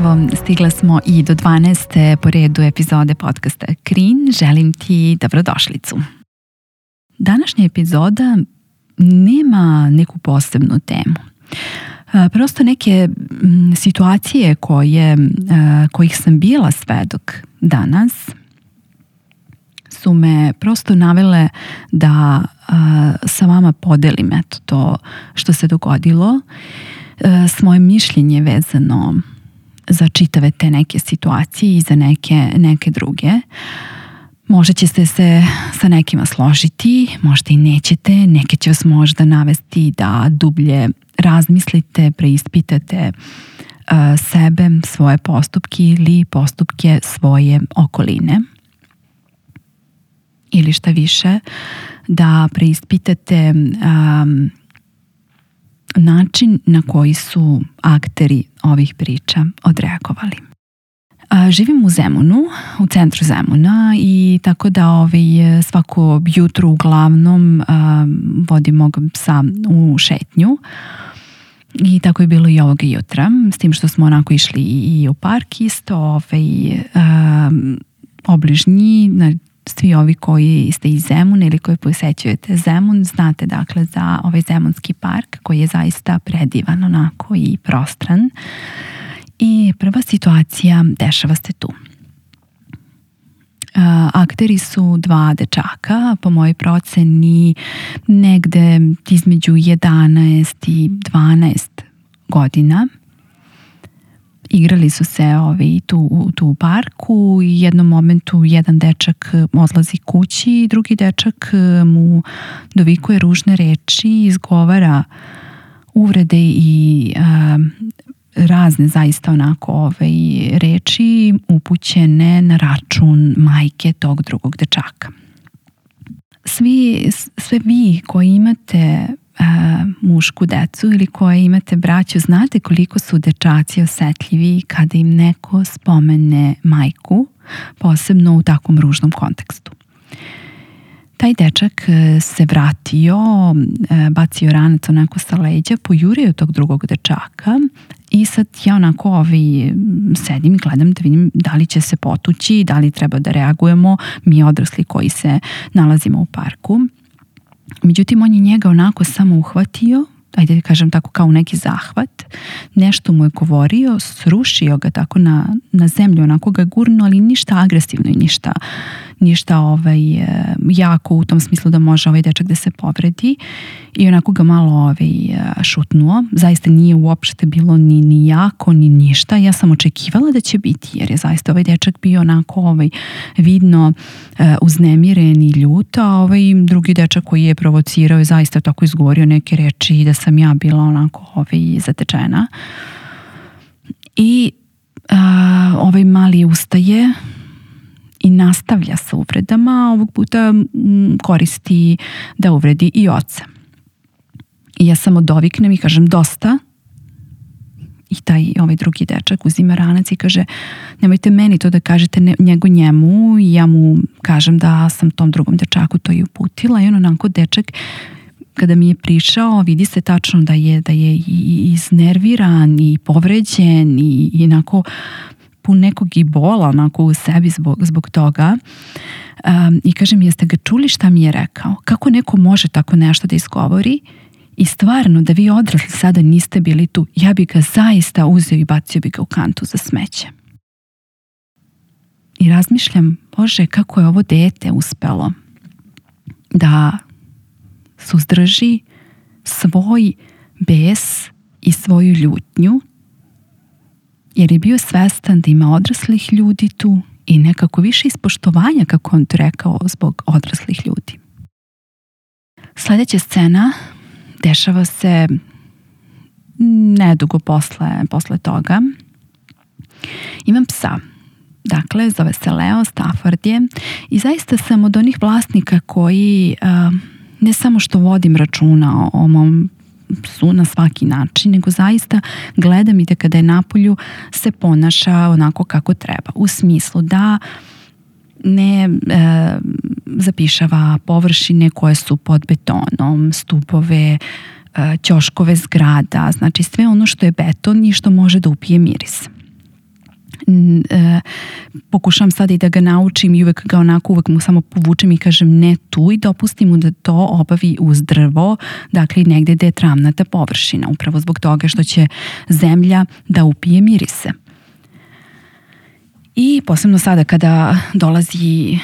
Evo, stigla smo i do 12. po redu epizode podcasta Krin. Želim ti dobrodošlicu. Današnja epizoda nema neku posebnu temu. Prosto neke situacije kojih sam bila svedok danas su me prosto navele da sa vama podelim to što se dogodilo, svoje mišljenje vezano za čitave te neke situacije i za neke druge. Možda ćete se sa nekima složiti, možda i nećete, neke će vas možda navesti da dublje razmislite, preispitate sebe, svoje postupke ili postupke svoje okoline. Ili šta više, da preispitate način na koji su akteri ovih priča odreagovali. Živim u Zemunu, u centru Zemuna, i tako da svako jutro uglavnom vodim mog psa u šetnju. I tako je bilo i ovoga jutra, s tim što smo onako išli i u park isto, obližnji. Svi ovi koji ste iz Zemuna ili koji posećujete Zemun znate dakle za ovaj Zemunski park koji je zaista predivan onako i prostran. I prva situacija dešava se tu. Akteri su dva dečaka, po mojoj proceni negde između 11 i 12 godina. Igrali su se tu u parku i u jednom momentu jedan dečak odlazi kući, drugi dečak mu dovikuje ružne reči, izgovara uvrede i razne zaista onako reči upućene na račun majke tog drugog dečaka. Sve vi koji imate mušku decu ili koje imate braću, znate koliko su dečaci osetljivi kada im neko spomene majku, posebno u takvom ružnom kontekstu. Taj dečak se vratio, bacio ranac onako sa leđa, pojurio tog drugog dečaka i sad ja onako sedim i gledam da vidim da li će se potući, da li treba da reagujemo mi odrasli koji se nalazimo u parku. Međutim, on je njega onako samo uhvatio, ajde da kažem tako kao neki zahvat, nešto mu je govorio, srušio ga tako na zemlju, onako ga gurno, ali ništa agresivno i ništa jako u tom smislu da može ovaj dečak da se povredi, i onako ga malo šutnuo. Zaista nije uopšte bilo ni jako ni ništa. Ja sam očekivala da će biti, jer je zaista ovaj dečak bio onako vidno uznemiren i ljut, a drugi dečak koji je provocirao je zaista tako izgovorio neke reči i da sam ja bila onako zatečena. I ovaj mali ustaje i nastavlja sa uvredama, ovog puta koristi da uvredi i oca. I ja samo doviknem i kažem dosta, i ovaj drugi dečak uzima ranac i kaže nemojte meni to da kažete nego njemu, i ja mu kažem da sam tom drugom dečaku to i uputila, i on onako dečak kada mi je prišao vidi se tačno da je i iznerviran i povređen i onako pun nekog i bola onako u sebi zbog toga. I kažem, jeste ga čuli šta mi je rekao? Kako neko može tako nešto da izgovori? I stvarno, da vi odrasli sada niste bili tu, ja bi ga zaista uzeo i bacio bi ga u kantu za smeće. I razmišljam, Bože, kako je ovo dete uspelo da suzdrži svoj bes i svoju ljutnju, jer je bio svestan da ima odraslih ljudi tu i nekako više ispoštovanja, kako on to rekao, zbog odraslih ljudi. Sljedeća scena dešava se nedugo posle toga. Imam psa. Dakle, zove se Leo, Stafford je, i zaista sam od onih vlasnika koji ne samo što vodim računa o mom psu na svaki način, nego zaista gledam i da kada je napolju se ponaša onako kako treba. U smislu da ne zapišava površine koje su pod betonom, stupove, ćoškove zgrada, znači sve ono što je beton i što može da upije miris. Pokušavam sad i da ga naučim i uvek mu samo povučem i kažem ne tu i dopustim mu da to obavi uz drvo, dakle negde gde je travnata površina, upravo zbog toga što će zemlja da upije mirise. I posebno sada kada dolazi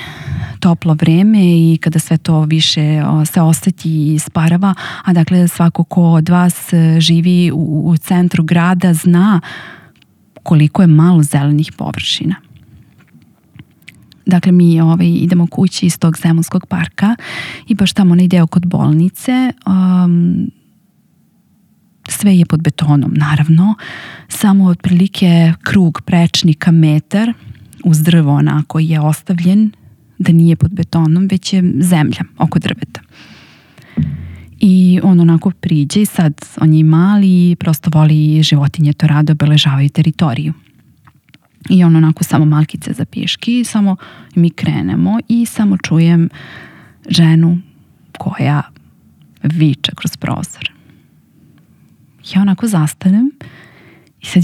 toplo vreme i kada sve to više se oseti i isparava, a dakle svako ko od vas živi u centru grada zna koliko je malo zelenih površina. Dakle, mi idemo kući iz tog Zemunskog parka i baš tamo onaj deo kod bolnice, sve je pod betonom, naravno, samo otprilike krug prečnika metar uz drvo onako je ostavljen da nije pod betonom, već je zemlja oko drveta. I on onako priđe i sad on je mali i prosto voli životinje, to rado obeležavaju teritoriju. I on onako samo malkice za piški, samo mi krenemo i samo čujem ženu koja viče kroz prozor. Ja onako zastanem i sad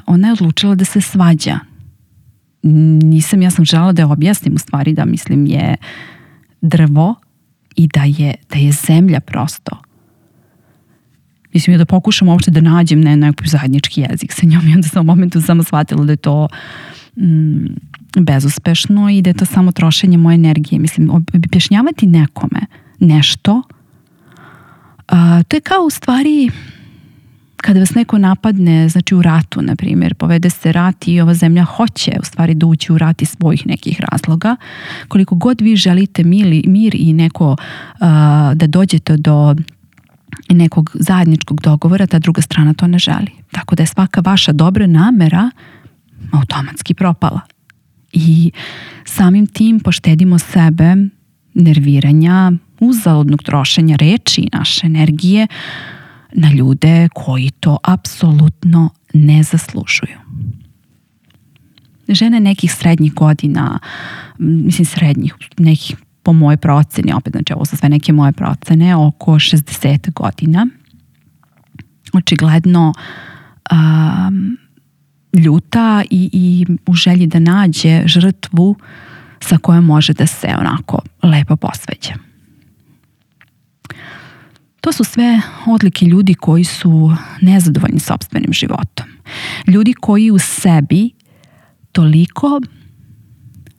ona je odlučila da se svađa. Ja sam želela da je objasnim u stvari da mislim je drvo i da je zemlja prosto. Mislim da pokušam uopšte da nađem neki zajednički jezik sa njom i onda sam u momentu samo shvatila da je to bezuspešno i da je to samo trošenje moje energije. Mislim, objašnjavati nekome nešto, to je kao u stvari kada vas neko napadne, znači u ratu, na primjer, povede se rat i ova zemlja hoće u stvari da ući u rat iz svojih nekih razloga. Koliko god vi želite mir i neko da dođete do nekog zajedničkog dogovora, ta druga strana to ne želi. Tako da je svaka vaša dobra namera automatski propala. I samim tim poštedimo sebe nerviranja, uzaludnog trošenja reči i naše energije na ljude koji to apsolutno ne zaslužuju. Žene nekih srednjih godina, mislim srednjih, nekih po mojoj proceni, opet znači ovo su sve neke moje procene, oko 60 godina, očigledno ljuta i u želji da nađe žrtvu sa kojom može da se onako lepo posveđa. To su sve odlike ljudi koji su nezadovoljni sopstvenim životom. Ljudi koji u sebi toliko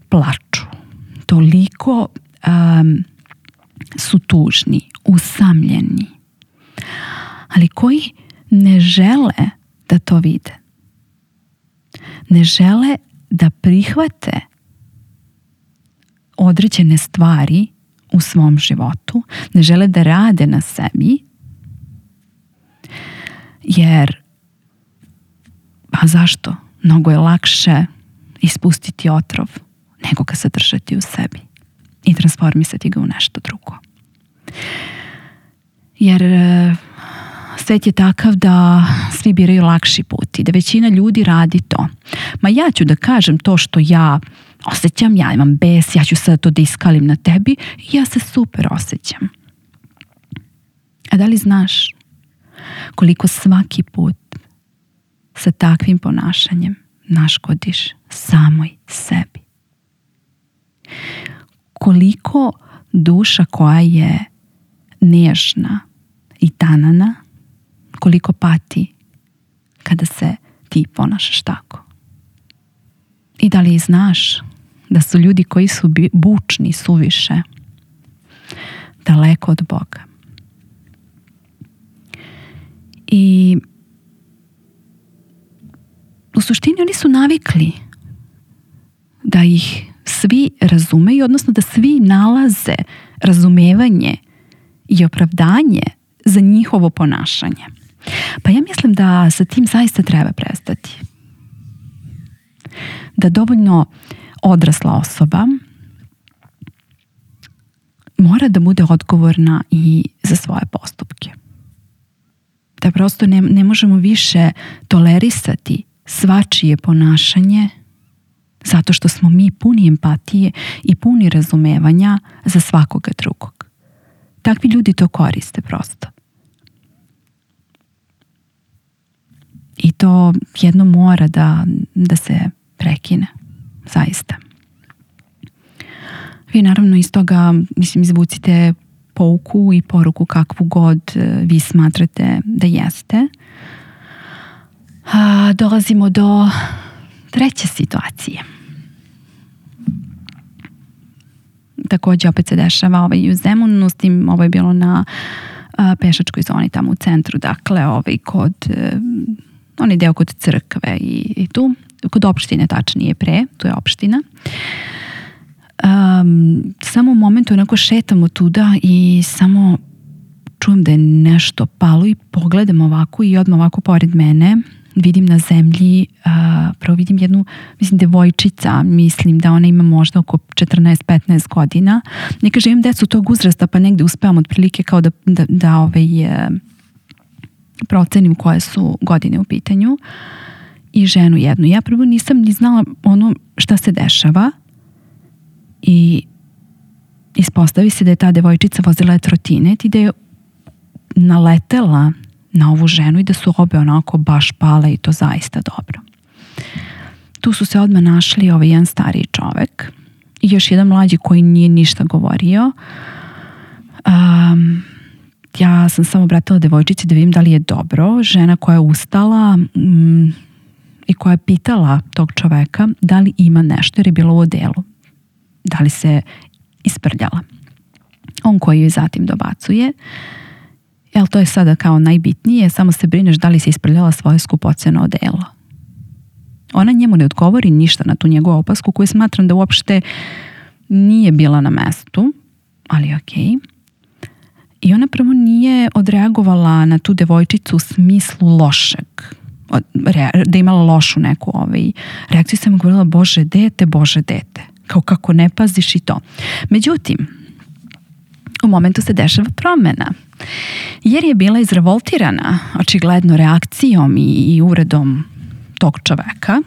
plaču, toliko su tužni, usamljeni, ali koji ne žele da to vide. Ne žele da prihvate određene stvari u svom životu, ne žele da rade na sebi, jer zašto? Mnogo je lakše ispustiti otrov nego ga zadržati u sebi i transformisati ga u nešto drugo. Jer svet je takav da svi biraju lakši put i da većina ljudi radi to. Ma ja ću da kažem to što ja osjećam, ja imam bes, ja ću sad to da iskalim na tebi i ja se super osjećam. A da li znaš koliko svaki put sa takvim ponašanjem naškodiš samoj sebi? Koliko duša koja je nežna i tanana, koliko pati kada se ti ponašaš tako? I da li znaš da su ljudi koji su bučni suviše daleko od Boga? I u suštini oni su navikli da ih svi razumeju, odnosno da svi nalaze razumevanje i opravdanje za njihovo ponašanje. Pa ja mislim da sa tim zaista treba prestati. Da dovoljno odrasla osoba mora da bude odgovorna i za svoje postupke. Da prosto ne možemo više tolerisati svačije ponašanje zato što smo mi puni empatije i puni razumevanja za svakoga drugog. Takvi ljudi to koriste prosto. I to jedno mora da se prekine. Zaista. Vi naravno iz toga, izvucite pouku i poruku kakvu god vi smatrate da jeste. Dolazimo do treće situacije. Također opet se dešava u Zemunu, s tim ovo je bilo na pešačkoj zoni tamo u centru, dakle kod onaj deo kod crkve i tu, kod opštine tačnije pre, tu je opština. Samo u momentu onako šetamo tuda i samo čujem da je nešto palo i pogledam ovako i odmah ovako pored mene vidim na zemlji, prvo vidim jednu, devojčica, mislim da ona ima možda oko 14-15 godina. Ne kažem, imam decu tog uzrasta, pa negde uspevam otprilike kao da procenim koje su godine u pitanju. I ženu jednu. Ja prvo nisam ni znala ono šta se dešava i ispostavi se da je ta devojčica vozila trotinet i da je naletela na ovu ženu i da su obe onako baš pale i to zaista dobro. Tu su se odmah našli jedan stariji čovek i još jedan mlađi koji nije ništa govorio. Ja sam samo obratila devojčici da vidim da li je dobro. Žena koja je ustala i koja je pitala tog čoveka da li ima nešto jer je bilo u odelu. Da li se isprljala. On koji joj zatim dobacuje: jel, to je sada kao najbitnije, samo se brineš da li se isprljala svoje skupoceno odelo. Ona njemu ne odgovori ništa na tu njegovu opasku koju smatram da uopšte nije bila na mestu, ali okej. I ona prvo nije odreagovala na tu devojčicu u smislu lošeg, da je imala lošu neku reakciju. Sam govorila: Bože dete, kao kako ne paziš i to. Međutim, u momentu se dešava promena, jer je bila izrevoltirana očigledno reakcijom i uredom tog čoveka.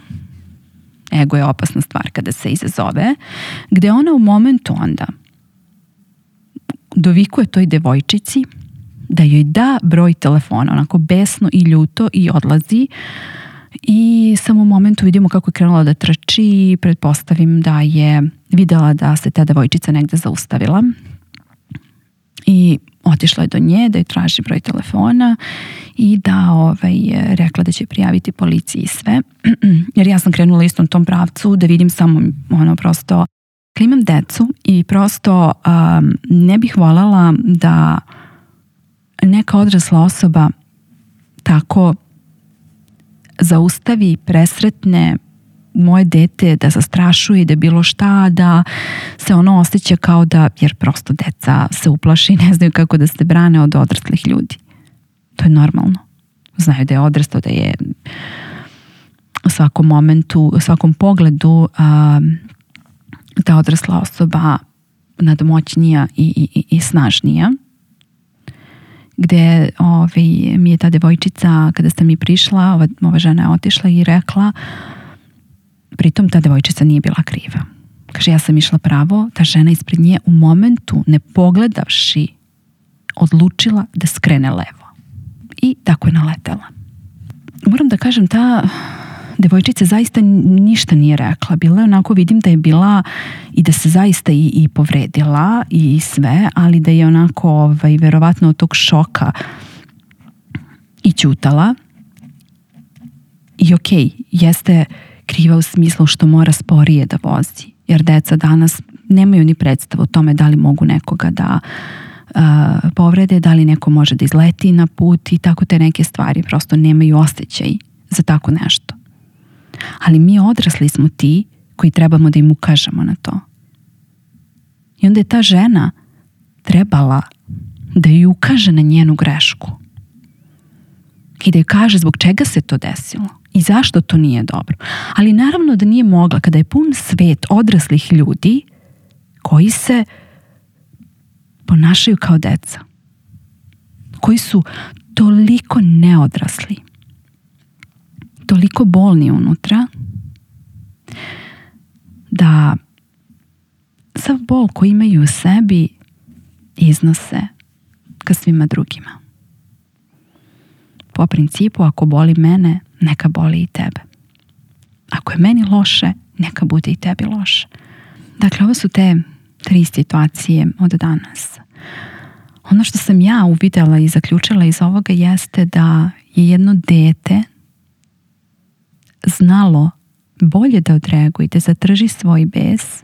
Ego je opasna stvar kada se izazove, gde ona u momentu onda dovikuje toj devojčici da joj da broj telefona, onako besno i ljuto, i odlazi. I samo u momentu vidimo kako je krenula da trči i pretpostavim da je videla da se ta devojčica negde zaustavila i otišla je do nje da je traži broj telefona i da rekla da će prijaviti policiji i sve. Jer ja sam krenula istom tom pravcu da vidim samo prosto kad imam decu i prosto ne bih voljela da neka odrasla osoba tako zaustavi, presretne moje dete, da zastrašuje, da bilo šta, da se ono osjeća kao da, jer prosto deca se uplaši i ne znaju kako da se brane od odraslih ljudi. To je normalno. Znaju da je odrastao, da je u svakom momentu, u svakom pogledu ta odrasla osoba nadmoćnija i snažnija. Gde mi je ta devojčica, kada sam mi prišla, ova žena je otišla i rekla, pritom ta devojčica nije bila kriva. Kaže, ja sam išla pravo, ta žena ispred nje u momentu, ne pogledavši, odlučila da skrene levo. I tako je naletela. Moram da kažem, ta devojčica zaista ništa nije rekla. Bila je onako, vidim da je bila i da se zaista i povredila i sve, ali da je onako verovatno od tog šoka i ćutala. I okej, jeste kriva u smislu što mora sporije da vozi. Jer deca danas nemaju ni predstavu o tome da li mogu nekoga da povrede, da li neko može da izleti na put i tako te neke stvari. Prosto nemaju osjećaj za tako nešto. Ali mi odrasli smo ti koji trebamo da im ukažemo na to. I onda je ta žena trebala da ju ukaže na njenu grešku. I da joj kaže zbog čega se to desilo i zašto to nije dobro. Ali naravno da nije mogla kada je pun svet odraslih ljudi koji se ponašaju kao deca. Koji su toliko neodrasli. Toliko bolni unutra da sav bol koji imaju u sebi iznose ka svima drugima. Po principu, ako boli mene, neka boli i tebe. Ako je meni loše, neka bude i tebi loše. Dakle, ovo su te 3 situacije od danas. Ono što sam ja uvidela i zaključila iz ovoga jeste da je jedno dete znalo bolje da odreaguje, da zadrži svoj bes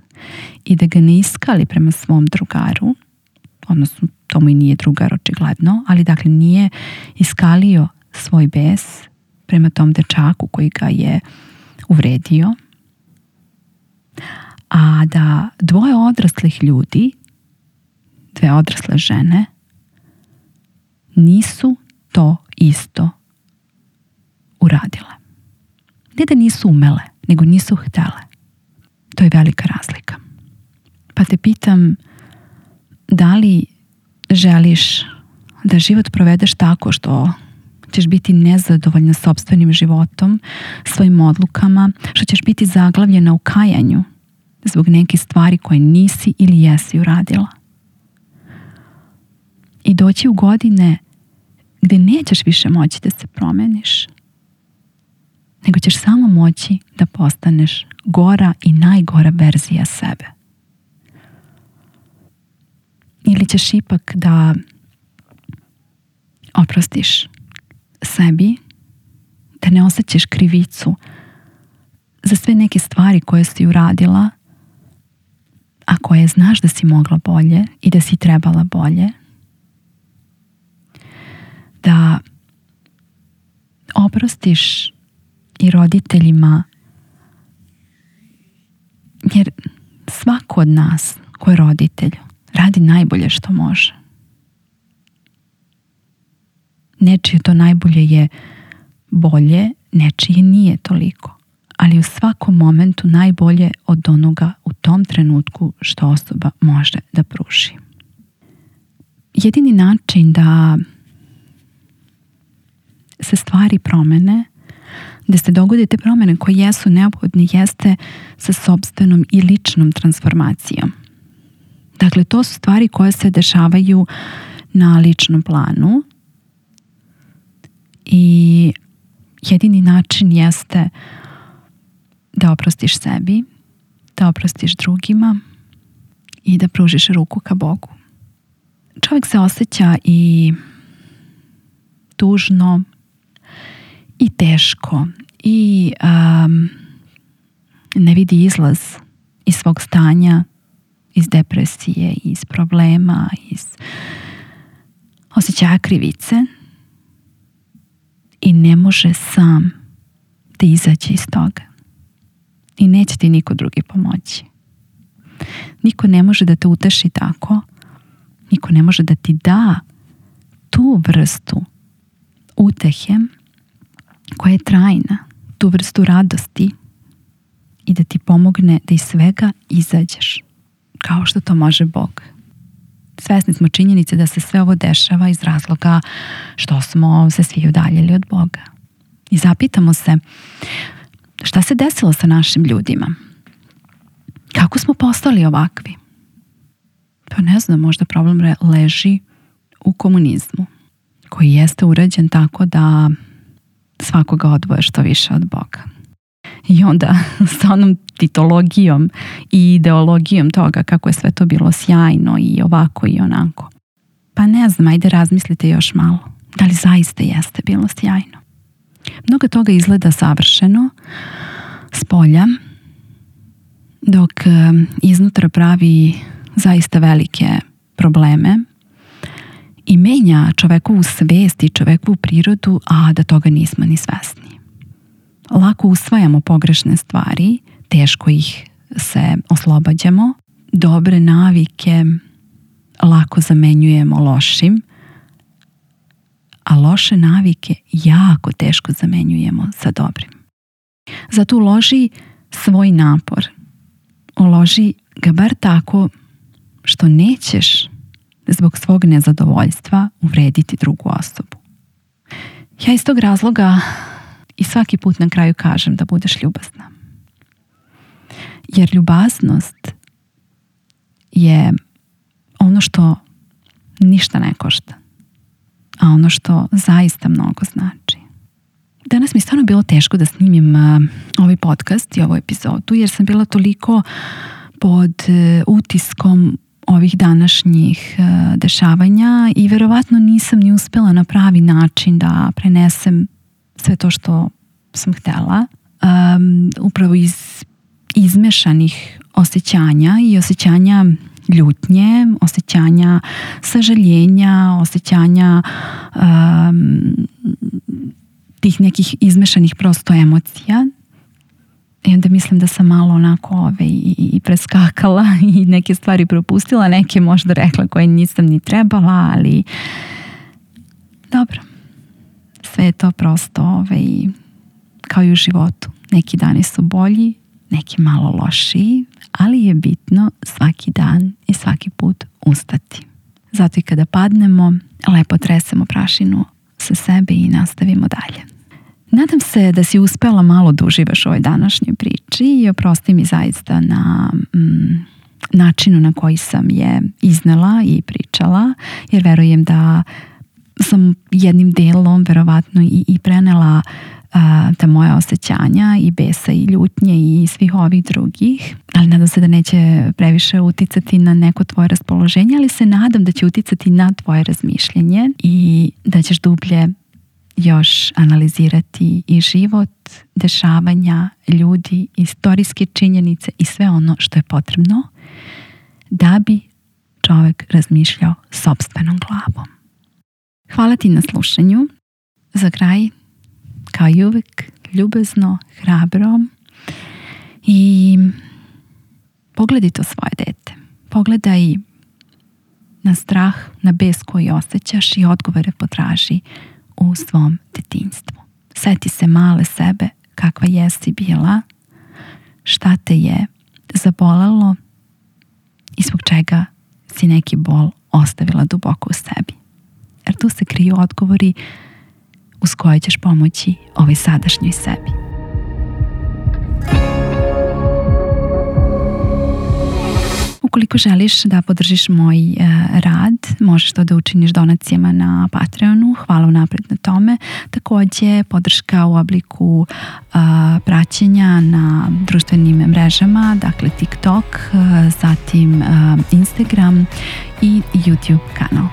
i da ga ne iskali prema svom drugaru, odnosno to mu i nije drugar očigledno, ali dakle nije iskalio svoj bes prema tom dečaku koji ga je uvredio, a da 2 odraslih ljudi, 2 odrasle žene, nisu to isto uradile. Ne da nisu umele, nego nisu htele. To je velika razlika. Pa te pitam, da li želiš da život provedeš tako što ćeš biti nezadovoljna sopstvenim životom, svojim odlukama, što ćeš biti zaglavljena u kajanju zbog nekih stvari koje nisi ili jesi uradila. I doći u godine gdje nećeš više moći da se promeniš, nego ćeš samo moći da postaneš gora i najgora verzija sebe. Ili ćeš ipak da oprostiš sebi, da ne osjećaš krivicu za sve neke stvari koje si uradila, a koje znaš da si mogla bolje i da si trebala bolje. Da oprostiš i roditeljima, jer svako od nas ko je roditelj radi najbolje što može. Nečije to najbolje je bolje, nečije nije toliko, ali u svakom momentu najbolje od onoga u tom trenutku što osoba može da pruži. Jedini način da se stvari promene, da se dogode te promene koje jesu neophodne, jeste sa sopstvenom i ličnom transformacijom. Dakle, to su stvari koje se dešavaju na ličnom planu i jedini način jeste da oprostiš sebi, da oprostiš drugima i da pružiš ruku ka Bogu. Čovjek se osjeća i tužno i teško i ne vidi izlaz iz svog stanja, iz depresije, iz problema, iz osjećaja krivice i ne može sam da izađe iz toga. I neće ti niko drugi pomoći. Niko ne može da te uteši tako. Niko ne može da ti da tu vrstu utehe koja je trajna, tu vrstu radosti i da ti pomogne da iz svega izađeš kao što to može Bog. Svesni smo činjenice da se sve ovo dešava iz razloga što smo se svi udaljili od Boga. I zapitamo se šta se desilo sa našim ljudima? Kako smo postali ovakvi? Pa ne znam, možda problem leži u komunizmu, koji jeste urađen tako da svakoga odvoje što više od Boga. I onda sa onom titologijom i ideologijom toga kako je sve to bilo sjajno i ovako i onako. Pa ne znam, ajde razmislite još malo. Da li zaista jeste bilo sjajno? Mnogo toga izgleda savršeno spolja, dok iznutra pravi zaista velike probleme i menja čovekovu svest i čovekovu prirodu, a da toga nismo ni svesni. Lako usvajamo pogrešne stvari, teško ih se oslobađamo, dobre navike lako zamenjujemo lošim, a loše navike jako teško zamenjujemo sa dobrim. Zato uloži svoj napor. Uloži ga bar tako što nećeš zbog svog nezadovoljstva uvrediti drugu osobu. Ja iz tog razloga i svaki put na kraju kažem da budeš ljubazna. Jer ljubaznost je ono što ništa ne košta, a ono što zaista mnogo znači. Danas mi stvarno bilo teško da snimim ovaj podcast i ovu epizodu, jer sam bila toliko pod utiskom ovih današnjih dešavanja i verovatno nisam ni uspela na pravi način da prenesem sve to što sam htjela. Upravo iz izmešanih osjećanja i osjećanja ljutnje, osjećanja sažaljenja, osjećanja tih nekih izmešanih prosto emocija. I onda mislim da sam malo onako i preskakala i neke stvari propustila, neke možda rekla koje nisam ni trebala, ali dobro. Sve je to prosto kao i u životu. Neki dani su bolji, neki malo lošiji, ali je bitno svaki dan i svaki put ustati. Zato i kada padnemo, lepo tresemo prašinu sa sebe i nastavimo dalje. Nadam se da si uspela malo da uživaš u ovoj današnjoj priči i oprosti mi zaista na načinu na koji sam je iznela i pričala, jer verujem da sam jednim delom verovatno i prenela ta moja osjećanja i besa i ljutnje i svih ovih drugih, ali nadam se da neće previše uticati na neko tvoje raspoloženje, ali se nadam da će uticati na tvoje razmišljanje i da ćeš dublje još analizirati i život, dešavanja, ljudi, istorijske činjenice i sve ono što je potrebno da bi čovjek razmišljao sopstvenom glavom. Hvala ti na slušanju. Za kraj, kao i uvek, ljubazno, hrabro i pogledaj to svoje dete. Pogledaj na strah, na bes koji osjećaš i odgovore potraži u svom detinjstvu. Sjeti se male sebe kakva jesi bila, šta te je zabolelo i zbog čega si neki bol ostavila duboko u sebi. Jer tu se kriju odgovori uz koje ćeš pomoći ovoj sadašnjoj sebi. Ukoliko želiš da podržiš moj rad, možeš to da učiniš donacijama na Patreonu. Hvala unapred na tome. Također podrška u obliku praćenja na društvenim mrežama, dakle TikTok, zatim Instagram i YouTube kanal.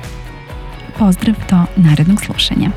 Pozdrav do narednog slušanja.